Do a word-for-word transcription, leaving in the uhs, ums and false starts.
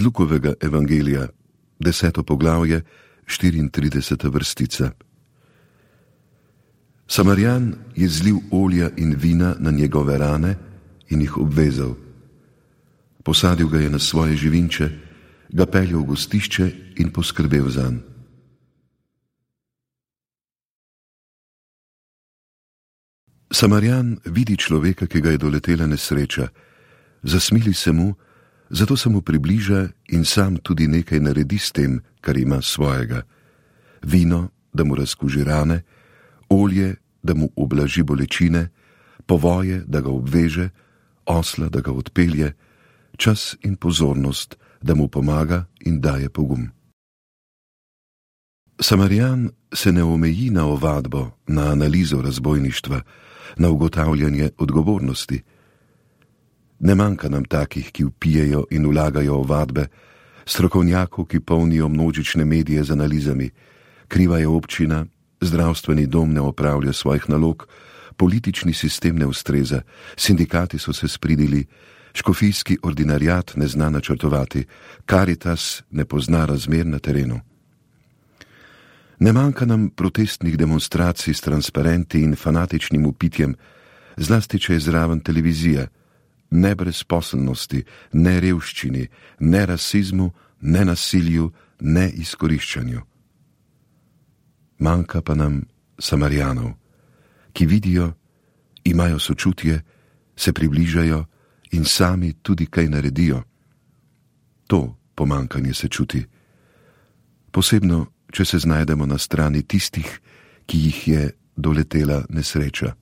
Lukovega evangelija, deseto poglavje, štiriintrideseta vrstica. Samarijan je zlil olja in vina na njegove rane in jih obvezal. Posadil ga je na svoje živinče, ga peljal v gostišče in poskrbel zanj. Samarijan vidi človeka, ki ga je doletela nesreča, zasmili se mu, zato se mu približa in sam tudi nekaj naredi s tem, kar ima svojega. Vino, da mu razkuži rane, olje, da mu ublaži bolečine, povoje, da ga obveže, osla, da ga odpelje, čas in pozornost, da mu pomaga in daje pogum. Samarijan se ne omeji na ovadbo, na analizo razbojništva, na ugotavljanje odgovornosti. Ne manjka nam takih, ki vpijejo in vlagajo ovadbe, strokovnjakov, ki polnijo množične medije z analizami, kriva je občina, zdravstveni dom ne opravlja svojih nalog, politični sistem ne ustreza, sindikati so se spridili, škofijski ordinariat ne zna načrtovati, Karitas ne pozna razmer na terenu. Ne manjka nam protestnih demonstracij s transparenti in fanatičnim upitjem, zlasti če je zraven televizija, ne brezposelnosti, ne revščini, ne rasizmu, ne nasilju, ne izkoriščanju. Manjka pa nam Samarijanov, ki vidijo, imajo sočutje, se približajo in sami tudi kaj naredijo. To pomanjkanje se čuti. Posebno, če se znajdemo na strani tistih, ki jih je doletela nesreča.